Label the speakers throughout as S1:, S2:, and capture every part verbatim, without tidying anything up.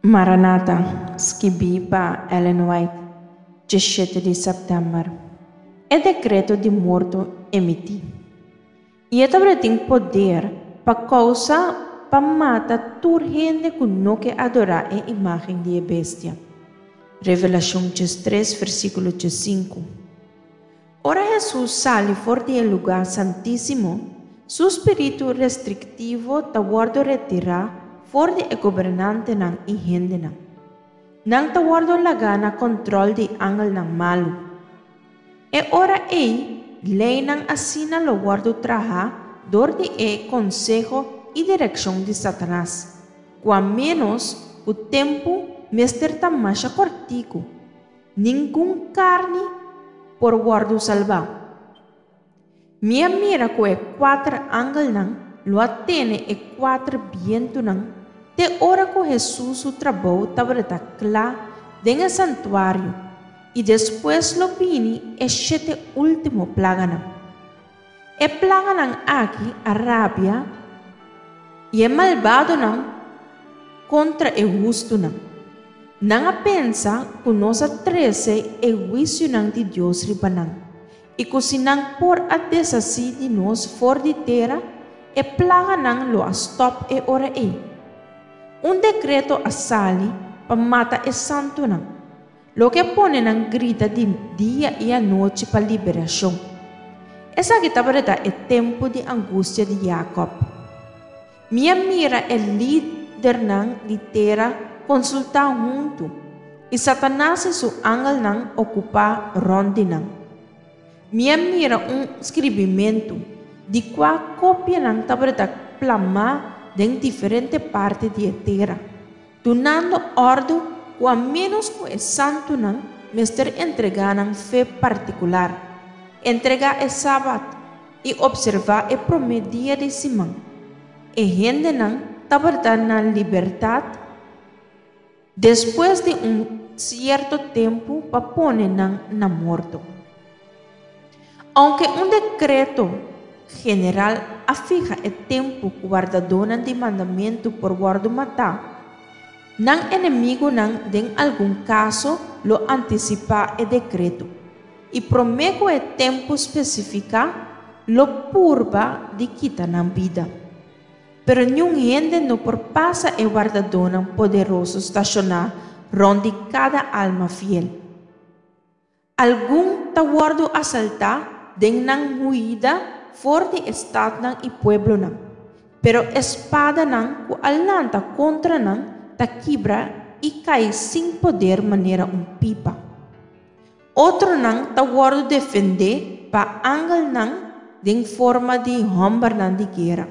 S1: Maranata, skibí pa Ellen White, diesshete di sèptèmber. E dekreto di morto emití. I e tabatin poder pa kousa pa mata tur hende ku no ke adorá e imágen di e bestia. Revelashon tres, versíkulo sinku. Ora Hesus sali for di e lugá santísimo, su spiritu restriktivo ta wòrdu retirá for di e gobernantenan i hendenan. Nan ta wòrdu lagá na kontròl di angelnan malu. E ora ei, leinan asina lo wòrdu trahá dor di e konseho i direkshon di Satanas, ku a ménos ku tempu mester ta masha kòrtiku. Ningun karni por wòrdu salbá. Mi a mira ku e kuater angelnan lo a tene e kuater bientunan te ora ku Hesus su trabou tabata kla den e santuario i despues lo bini e shete último plaganan. E plaganan aki a rabia i e malbadonan kontra e hustunan. Nan a pensa ku nos a trese e huisionan di Dios riba nan i ku si nan por a deshasí di nos for di tera, e plaganan lo a stòp e ora ei. Un dekreto a sali pa mata e santunan, loke a pone nan grita di dia i anochi pa liberashon. Esaki tabata e tempu di angustia di Jacob. Mi a mira e lidernan di tera konsultá huntu, i Satanas i su angelnan okupá rònt di nan. Mi a mira un skirbimentu, di kua kopianan tabata plamá den diferente parti di e tera, dunando òrdu ku a ménos ku e santunan mester entregá nan fe partikular, entregá e sabat i opservá e promé dia di siman. E hendenan tabata na libertat despues di un sierto tempu pa pone nan na morto. Ounke un dekreto general a fiha e tempu ku wardadónan di mandamentu por wòrdu matá, nan enemigunan den algun kaso lo antisipá e dekreto i promé ku e tempu spesifiká lo purba di kita nan bida. Pero niun hende no por pasa e wardadónan poderoso stashoná rònt di kada alma fiel. Algun ta wòrdu asaltá den nan huida for di e statnan i pueblonan, pero e spadanan ku a lanta kontra nan ta kibra i kai sin poder manera un pipa. Otronan ta wòrdu defendé pa angelnan den forma di hòmbernan di guera.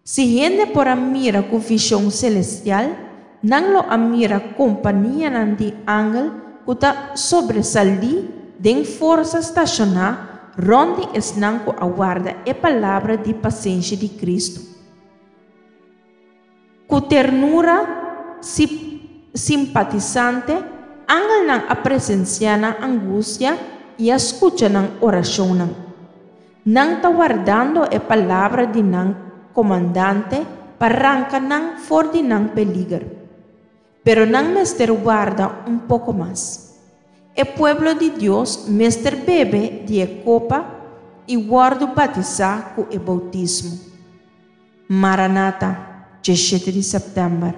S1: Si hende por a mira ku vishon selestial, nan lo a mira kompanianan di angel ku ta sobresalí den forsa stashoná rònt di esnan ku a warda e palabra di pasenshi di Kristu. Ku ternura simpatisante, angelnan a presensiá nan angustia i a skucha nan orashonnan. Nan ta wardando e palabra di nan komandante pa ranka nan for di nan peliger. Pero nan mester warda un poko mas. E pueblo di Dios mester bebe di e kopa i wòrdu batisá ku e boutismo. Maranata, diesshete di sèptèmber.